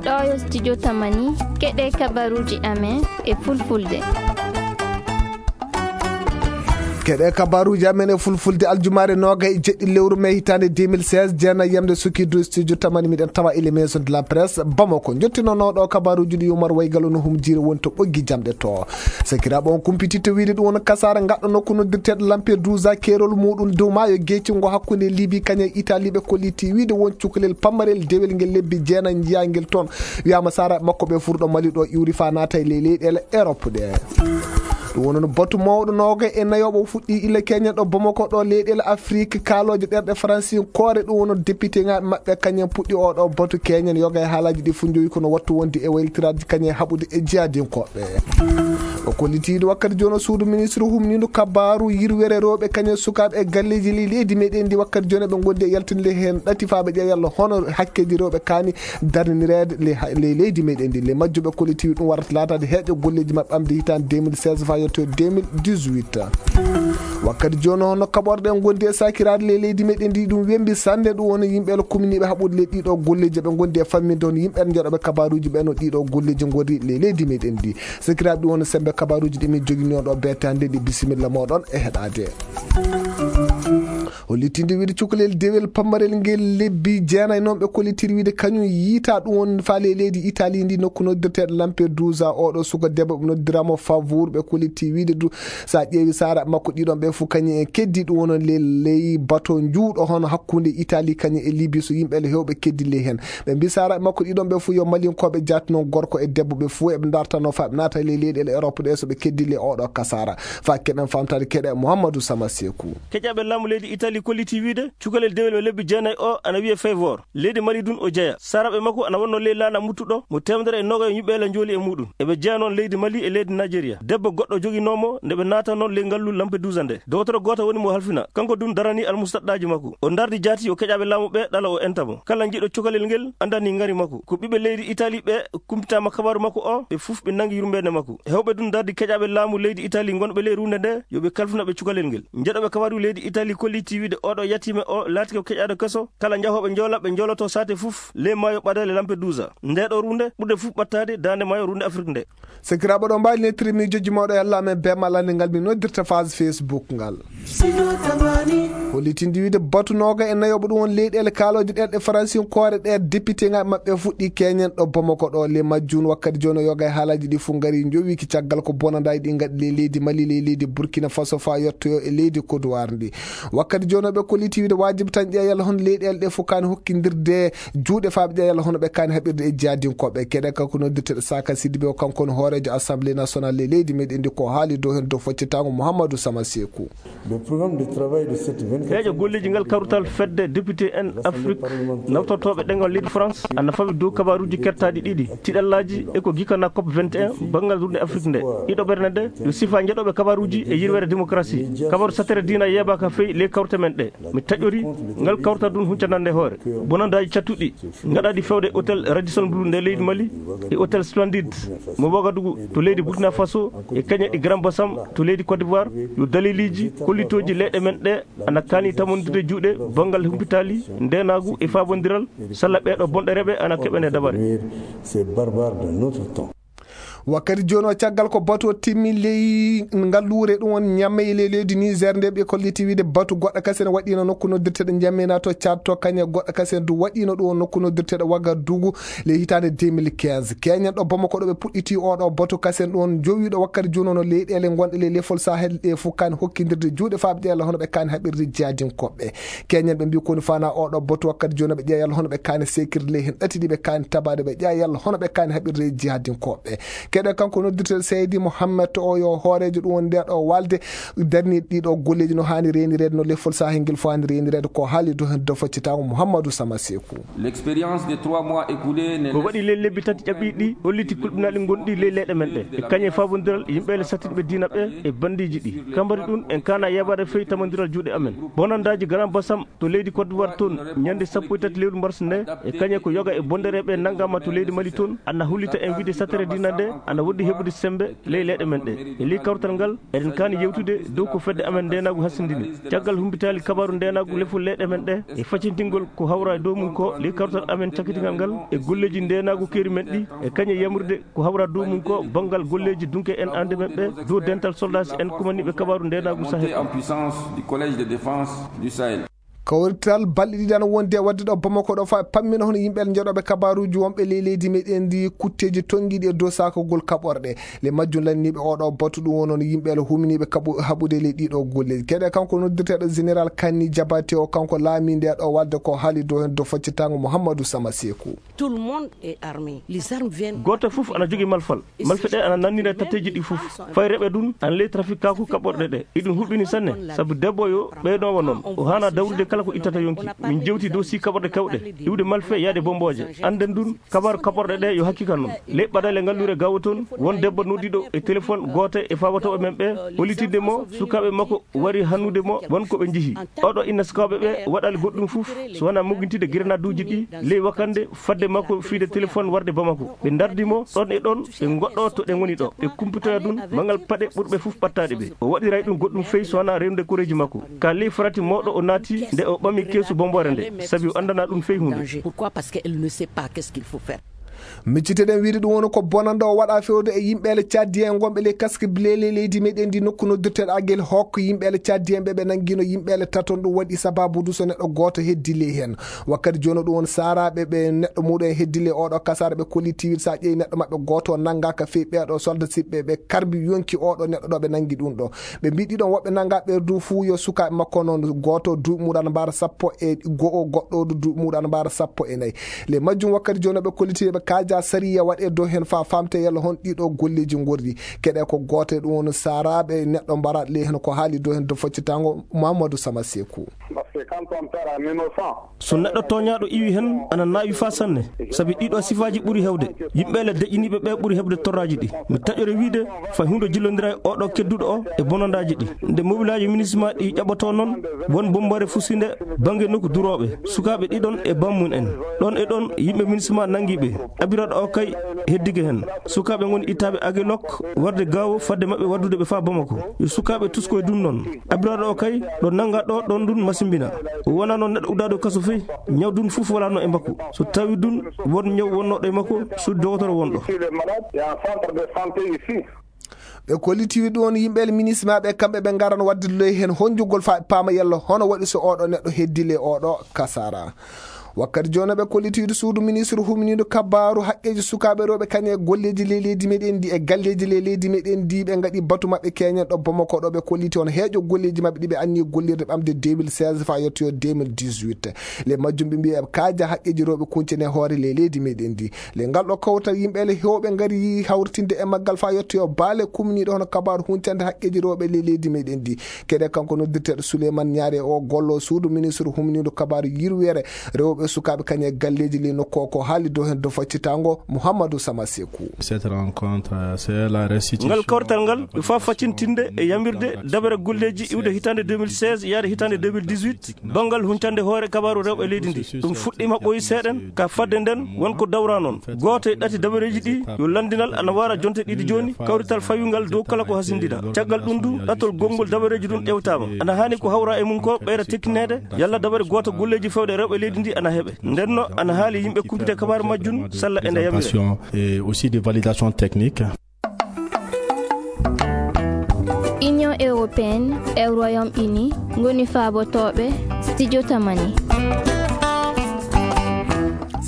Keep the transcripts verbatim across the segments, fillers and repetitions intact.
Ɗo yo studio Tamani, keɗe kabaruji amen e fulfulde. Keɗe kabaruji amen e fulfulde, aljumaare noga e jeɗɗi lewru mai hitaande deux mille seize, jeena yamde suki du studio Tamani, miɗen tawa ile maison de la presse Bamako. Jottinonoɗo kabaruji ɗi Umar Waygal no humjiri woni to ɓoggi jamɗe to. Sakiraaɓe, on kumpititta wiide ɗum woni kasaara ngaɗɗo nokku noddirteeɗo Lampedusa, keerol muɗum dow maayo geecingo hakkunde Libi kañum e Italie, ɓe kolliti wiide won cukalel pammarel dewel ngel lebbi jeenayi njiyaa ngel toon. Wiyaama saaraaɓe makko ɓe furɗo Mali ɗo iwri faa naata e ley leyɗeele Europe ɗe. Ɗum woni no batu mawɗo nooga e nayo mo fuɗɗi illa keñen ɗo Bamako ɗo leyɗeele Afrique kaalooje ɗerɗe Faransi koore. Ɗum woni no député ŋaaɓe maɓɓe kañum puɗɗi oo ɗo batu keñen yoga e haalaaji ɗi fof njowi kono wattu wonde e waylitiraade kañum e haɓude e jihaadinkooɓe. O kollitiiɗo wakkati jooni o suudu ministre humniiɗo kabaaru yirwere rewɓe kañum e sukaaɓe e galleeji ley leydi meɗen ndi wakkati jooni ɓe ngondi e yaltinde heen ɗati faa ɓe ƴeewa yalla hono hakkeeji rewɓe kaani darninireede ley ha-, ley leydi meɗen ndi. Ley majjum ɓe kollitiiɗo ɗum warata laataade heeƴo golleeji maɓɓe ɓamde hitaande deux mille seize faa yetto deux mille dix-huit. Wakkati jooni hono kaɓorɗe en ngondi e sakiraade ley leydi meɗen ndi ɗum wembi sannde ɗum woni yimɓe le kuminiiɓe haɓude ley ɗiɗo golleeji ɓe ngondi e famminde hono yimɓe njeɗoɓe kabaruuji ɓe no ɗiɗo golleeji ngori ley leydi meɗen ndi. Sakiraaɓe ɗum woni sembe kabaruuji ɗi min jogini on ɗo beetande ɗi bisimilla moɗon e heɗaade. O littinde wiide cukalel dewel pammarel ngel lebbi jeenayi noon ɓe kollitiri wiide kañum yiita ɗum woni faale e leydi Italie ndi nokku noddirteeɗo Lampedusa. Oɗo suka debbo ɓe noddiramo Favour ɓe kolliti wiide du sa ƴeewi saara makko ɗiɗon ɓe fof kañum en keddi ɗum woni le ley bato njuuɗo hono hakkunde Italie kañum e Libye so yimɓe le hewɓe keddi ley heen. Ɓe mbi saara makko ɗiɗon ɓe fof yo Malinkooɓe jaati noon gorko e debbo ɓe fof eɓe dartano faa ɓe naata ley leyɗeele Europe ɗe so ɓe keddi le oɗo kasaara. Faa keɗen famtaade keɗe Mouhamadou Sama Sekou. Keƴaɓe laamu leydi Italie kolliti wiide cukalel dewel mo lebbi jeenayi o ana wiye Favour. Leydi Mali dun o jeya. Saaraaɓe makko ana wonno ley laana muttuɗo mo teemedere e noga e ñuɓɓeela njooli e muɗum. Eɓe jeya noon leydi Mali e leydi Nigeria. Debbo goɗɗo joginoomo nde ɓe naata noon ley ngallu Lampedusa nde. Dowtoro gooto woni mo halfina. Kanko dun darani almustaɗɗaaji makko. O dardi jaati o keƴaɓe laamu ɓe ɗala o enta mo. Kala jiɗo cukalel ngel andani ngari makko. Ko ɓiɓɓe leydi Italie ɓe kumpitaama kabaaru makko o, ɓe fof ɓe nangi yurmeende makko. Hewɓe dun dardi keƴaɓe laamu leydi Italie gonɓe ley runde nde, yo ɓe kalfina ɓe cukalel ngel. Jeɗoɓe kabaaru leydi Italie kolliti wiide oɗo yatiime o laati ko keƴaɗo keso, kala jahooɓe njoola ɓe njooloto saate fof ley maayo ɓadale Lampedusa. Nde ɗo runde ɓurde fof ɓattaade daande maayo runde Afrik nde. Sakiraaɓe ɗo mbaali nettiri miijooji mawɗo e Allah amen bee malande ngal min noddirta phase Facebook ngal. Hollitinde wiide batu nooga e nayoɓo ɗum won leyɗeele kaalooje ɗerɗe faransinkoore ɗe député ŋaaɓe maɓɓe fuɗɗi keñen ɗo Bamako ɗo le majjun wakkati jooni o yoga e haalaaji ɗi fof ngari njowiki caggal ko bonandaaji ɗi ngaɗi ley leydi Mali ley leydi Burkina Faso faa yettoyo e leydi Côte d'Ivoire ndi. Wakkati jooni o ɓe kolliti wiide waajibi tan ƴeewa yalla hono leyɗeele ɗe fof kaani hokkindirde juuɗe faa ɓe ƴeewa yalla hono ɓe kaani haɓirde e jihadinkooɓe keɗe kanko noddirteɗo Saka Sidibé o kanko woni hooreejo assemblée nationale ley leydi meɗen ndi ko haali dow heen dow foccitaango Mouhamadou Sama Sekou. Le programme de travail de cette vingt-quatrième heeƴo golleeji ngal kawrital fedde député en Afrique nawtortooɓe ɗengal leydi France ana fawi dow kabaaruuji kertaaɗi ɗiɗi tiɗallaaji e ko gikana cop vingt et un banngal runde Afrique nde ɗiɗo ɓernde nde yo sifa njeɗoɓe kabaaruuji e yirwere démocratie kabaaru satere diina yeebaaka fey ley kawrte men ɗe mi taƴori ngal kawrtal ɗum huncanande hoore bonandaaji cattuɗi ngaɗaɗi fewde hôtel Radisson Blu nde leydi Mali e hôtel Splendide mo Ouagadougou to leydi Burkina Faso e kañe ɗi Grand Bassam to leydi Côte d'Ivoire yo daliliji kollitooji leyɗe men ɗe ana kaani tamondirde juuɗe banngal humpitaali ndeenaagu e faabondiral salla ɓeeɗo bonɗereeɓe ana keɓene dabare. Ces barbares de notre temps. Wakkati jooni o caggal ko batu o timmi ley ngalluure ɗum won ñamme e ley leydi Niger nde ɓe kolliti wiide batu goɗɗo kasen waɗino nokku noddirteɗo ñamme na to Tchad to kañe goɗɗo kasen du waɗino ɗum won nokku noddirteɗo Ouagadougou ley hitaande deux mille quinze keñen ɗo Bamako ɗo ɓe puɗɗiti oɗo batu kasen ɗum won jowiɗo wakkati jooni ono leyɗeele gonɗe ley lefol Sahel ɗe fof kaani hokkindirde juuɗe faa ɓe ƴeewa yalla hono ɓe kaani haɓirde jihadinkoɓe keñen ɓe mbi koni fana oɗo batu wakkati jooni ɓe ƴeewa yalla hono ɓe kaani sekirde ley heen ɗati ɗi ɓe kaani tabaade ɓe ƴeewa yalla hono ɓe kaani haɓirde jihadinkoɓe keɗe kanko noddirteɗo Seydi Mohammed o yo hooreejo ɗum woni nde ɗo walde darni ɗiɗo golleeji no haani reynireede no lefol Sahel ngel fof haani reynireede ko haali dow heen dow foccitaango Mouhamadou Sama Sekou. L'expérience des trois mois écoulés ne ko waɗi ley lebbi tati ƴaɓɓiiɗi ɗi holliti kulɓinaaɗi gonɗi ley leyɗe men ɗe e kañe faabondiral yimɓe le sattinɓe diina ɓe e bandiiji ɗi kambari ɗum en kaana yeebaade fey tamondiral juuɗe amen bonandaaji Grand Bassam to leydi Côte d'Ivoire toon ñande sappo e tati lewru mars nde e kañe ko yoga e bondereeɓe nanngaama to leydi Mali toon ana hollita en wiide satere diina nde Ana woɗɗi heɓude semmbe ley leyɗe men ɗe. E ley kawrital ngal, eɗen kaani yewtude dow ko fedde amen ndeenaagu hasindini. Caggal humpitaali kabaaru ndeenaagu lefol leyɗe men ɗe, e facintingol ko hawra e dow mum ko ley kawrital amen cakkitingal ngal, e golleeji ndeenaagu keeri men ɗi, e kañe yamrude ko hawra dow mum ko banngal golleeji dunke en aande men ɓe, dow dental soldaasi en kumaniiɓe kabaaru ndeenaagu Sahel. En puissance du Collège de défense du Sahel. Kawrital balɗe ɗiɗi ana wondi e waɗde ɗo Bamako ɗo, fa pammina hono yimɓe njeɗooɓe kabaaruuji wonɓe ley leydi meɗen ndi kutteeji tonngiiɗi e dow sakagol kaɓorɗe. Le majjum lanniiɓe oɗo batu ɗum woni yimɓe le huminiiɓe kaɓu-, haɓude ley ɗiɗo golleeji. Kede kanko noddirteeɗo Général Kani Jabate o, kanko laami nde ɗo walde ko haali dow hen dow faccitango Mouhamadou Sama Sekou. Tout le monde est armé. Les armes viennent. Gooto fof ana jogii malfal. Malfe ɗe ana nannira tatteeji ɗi fof. Fay reɓe ɗum ana ley trafikaaku kaɓorɗe ɗe. Iɗum huɓɓini sanne, sabu debbo yo ɓeynoowo noon. O haana dawrude kala ko ittata yonki. Min jewti dow si kaɓorɗe kewɗe, iwde malfe yaade bombooje. Annden ɗum, kabaaru kaɓorɗe ɗe yo hakkika noon. Ley ɓadale ngallure gawo toon, won debbo noddiiɗo e téléphone gooto e faawotooɓe men ɓe, hollitinde mo sukaaɓe makko wari hannude mo won ko ɓe njihi. Oɗo inna sukaaɓe ɓe waɗali goɗɗum fof, so wonaa moggintinde grenaaduuji ɗi ley wakannde fadde makko fiide téléphone warde Bamako. Ɓe ndardi mo ɗon e ɗon, ɓe ngoɗɗo to ɗe ngoni ɗo. Ɓe kumpitoya ɗum, mangal paɗe ɓurɓe fof ɓattaade ɓe. O waɗiray ɗum goɗɗum fey so wonaa rewde koreeji makko. Ka ley farati mawɗo o naati nde o ɓami keesu bomboore nde, sabi o anndanaa ɗum fey huunde. Pourquoi ? Parce qu'elle ne sait pas qu'est-ce qu'il faut faire. Micciteɗen wiide ɗum woni ko bonannde o waɗa fewde e yimɓeele caddien gonɓe ley kaske bileele leydi meɗen ndi nokku noddirteɗo Agel Hokk. Yimɓeele caddien ɓe ɓe nanngino yimɓeele taton, ɗum waɗi sababu du so neɗɗo gooto heddi ley heen. Wakkati jooni ɗum woni saaraaɓe ɓe neɗɗo muɗum en heddi ley oɗo kasaara ɓe kolli tiwir sa ƴeewi neɗɗo maɓɓe gooto nannga ka fey ɓeeɗo solda siɓɓe ɓe karbi yonki oɗo neɗɗo ɗo ɓe nanngi ɗum ɗo. Ɓe mbiɗi ɗon woɓɓe nannga ɓe du fuu yo sukaaɓe makko noon gooto duuɓi muɗum ana mbaara sappo e go'o goɗɗo du duuɓi muɗum ana mbaara sappo e nayi. Le majjum wakkati jooni ɓe kolliti ɓe kaaja sariya waɗe dow heen fa famte yalla hon ɗiɗo golleeji ngorri. Keɗe ko gooto e ɗum woni saaraaɓe neɗɗo mbaraɗo le heen ko haali dow heen dow faccitango Mamadou Sama Sekou. Parce que quand on perd un innocent, so neɗɗo tooñaaɗo iwi heen ana naawi fa sanne, sabi ɗiɗo sifaaji ɓuri heewde. Yimɓe le deƴƴiniiɓe ɓe ɓuri heɓde torraaji ɗi. Mi taƴore wiide fay huunde jillondira e oɗo kedduɗo o e bonandaaji ɗi. Nde mobilaaji minisma ɗi ƴaɓɓotoo noon, won bombaare fusinde bannge nokku durooɓe, sukaaɓe ɗiɗon e bammum en. Ɗon e ɗon yimɓe minisma nanngi ɓe. Abiraɗo o kay heddike heen. Sukaaɓe ngoni ittaaɓe Aguelok warde gaawo fadde maɓɓe waddude ɓe faa Bamako. Yo sukaaɓe tuskoy ɗum noon. Abiraɗo o kay ɗo nannga ɗo ɗon ɗum masimbina. O wonaa noon neɗɗo uddaaɗo kaso fey. Ñaw ɗum fof walaano e makko. So tawi ɗum won ñaw wonnooɗo e makko, suudu dogotoro wonɗo. Ici, les malades, il y a un centre de santé ici. Ɓe kollitiwi ɗum woni yimɓe le minisma ɓe, kamɓe ɓe ngaran wadde ley heen honjugol fa paama yalla hono waɗi so oɗo neɗɗo heddi le oɗo kasara. Wakkati jooni ɓe kollitiwi suudu ministre huminiiɗo kabaaru haqqeeji sukaaɓe rewɓe kañe e golleeji ley leydi meɗen ndi e galleeji ley leydi meɗen ndi ɓe ngaɗi batu maɓɓe keñen ɗo Bamako ɗo ɓe kolliti on heeƴo golleeji maɓɓe ɗi ɓe anni gollirde ɓamde deux mille seize fa yettoyo deux mille dix-huit. Le majjum ɓe mbiya ɓe kaaja haqqeeji rewɓe kuncene hoore ley leydi meɗen ndi. Le ngal ɗo kawtal yimɓe le heewɓe ngari hawritinde e maggal fa yettoyo baale kumniiɗo hono kabaaru huncande haqqeeji rewɓe ley leydi meɗen ndi. Keɗe kanko noddirteeɗo Souleymane Niare o gollo suudu ministre humniiɗo kabaaru yirweere rewɓe sukaaɓe kañe e galleeji le nokku o ko haali dow heen dow faccitango Mouhamadou Sama Sekou. Cette rencontre, c'est la restitution. Ngal kawrital ngal ɓe fa faccintinde e yamirde dabere golleeji iwde hitaande deux mille seize yaade hitaande deux mille dix-huit. Banngal huncande hoore kabaaru rewɓe leydi ndi, ɗum fuɗɗiima ɓooyi seeɗen, ka fadde nden won ko dawra noon. Gooto e ɗati dabareeji ɗi yo lanndinal ana wara jonte ɗiɗi jooni, kawrital fawingal dow kala ko hasindina. Caggal ɗum du, ɗatol gonngol dabareeji ɗum ƴewtaama. Ana haani ko hawra e mum ko ɓeyra tekkineede, yalla dabare gooto golleeji fewde rewɓe leydi ndi ana heɓe. Ndenno, ana haali yimɓe kumpite kabaaru majjum, salla ene yamira. Et aussi des validations techniques. Union européenne e Royaume-Uni ngoni faabotooɓe Studio Tamani.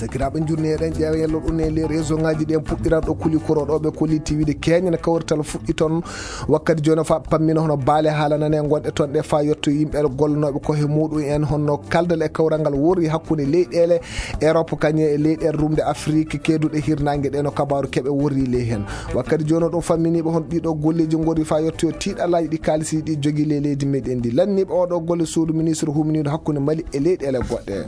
Sakiraaɓe, njurni eɗen ƴeewa yello ɗum e les réseau ngaji ɗi en puɗɗiran ɗo kuli koro ɗo ɓe kuli tiwiide keñen kawrital fuɗɗi toon. Wakkati jooni fa pammino hono baale haalanane gonɗe toon ɗe fa yetto yimɓe gollanooɓe ko he muɗum en honno kaldal e kawral ngal worri hakkunde leyɗeele Europe kañe e leyɗeele rumde Afrique keeduɗe hirnaange ɗe no kabaaru keɓe worri ley heen. Wakkati jooni ɗum famminiiɓe hon ɗiɗo golleeji ngori fa yettoyo tiiɗalaaji ɗi kaalisi ɗi jogi ley leydi meɗen ndi. Lanniiɓe oɗo golle suudu ministre humniiɗo hakkunde Mali e leyɗeele goɗɗe.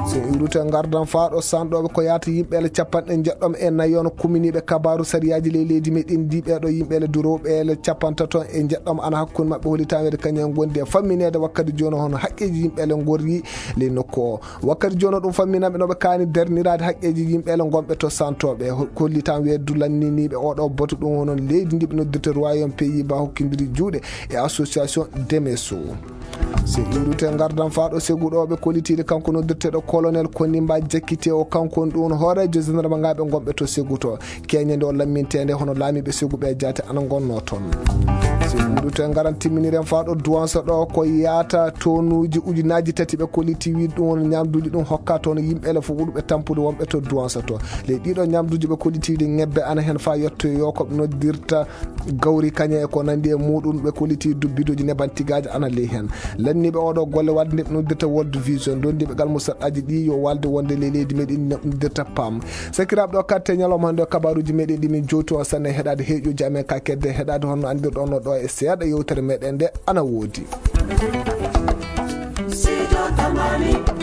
So iwrute ngardan fa Aɗo sanɗooɓe ko yaata yimɓeele capanɗe njeɗɗom e nayi on kuminiiɓe kabaaru sariyaaji ley leydi meɗen ndi. Ɓeeɗo yimɓeele durooɓeele capantato e njeɗɗom ana hakkunde maɓɓe holi tan weede kañum en gondi e fammineede wakkati jooni hono haqqeeji yimɓeele ngorri ley nokku o. Wakkati jooni o ɗum famminanɓe no ɓe kaani darniraade haqqeeji yimɓeele ngonɓe to santooɓe. Ho-, holli tan weeddu lanniniiɓe oɗo batu ɗum hono leydi ndi ɓe noddirta Royaume Pays-Bas hokkindiri juuɗe e association Demeso. Se iwrite ngardan faa ɗo seguɗo ɓe kollitiiɗe kanko noddirteeɗo colonel Konimba Jakkite o, kanko on ɗum hooreejo général ɓe ngonɓe to seguto. Keñande o lamminteende hono laamiiɓe seguɓe jaate ana ngonno toon. Se iwrite ngaran timminiren faa ɗo duwansa ɗo ko yaata tonuuji ujunaaji tati ɓe kolliti wiide ɗum won ñamduuji ɗum hokka toon yimɓe ele fof ɓurɓe tampude wonɓe to duwansa to. Ley ɗiɗo ñamduuji ɓe kolliti wiide ñebbe ana heen faa yettoyo ko ɓe noddirta gawri kaña e ko nandi e muɗum ɓe kolliti dubbidoji neban tigaaji ana ley heen. Lanniiɓe oɗo golle wadde nde ɓe noddirta World Vision, dondiiɓe gal musaɗɗaaji ɗi yo walde wonde ley leydi meɗen noddirta pam. Sakiraaɓe ɗo katte ñalawma hannde o kabaruuji meɗen ɗi min jowti on sanne heɗaade heeƴuji amen ka kedde heɗaade honno anndirɗon no ɗo e seeɗa yewtere meɗen nde ana woodi. Sijo Tamani.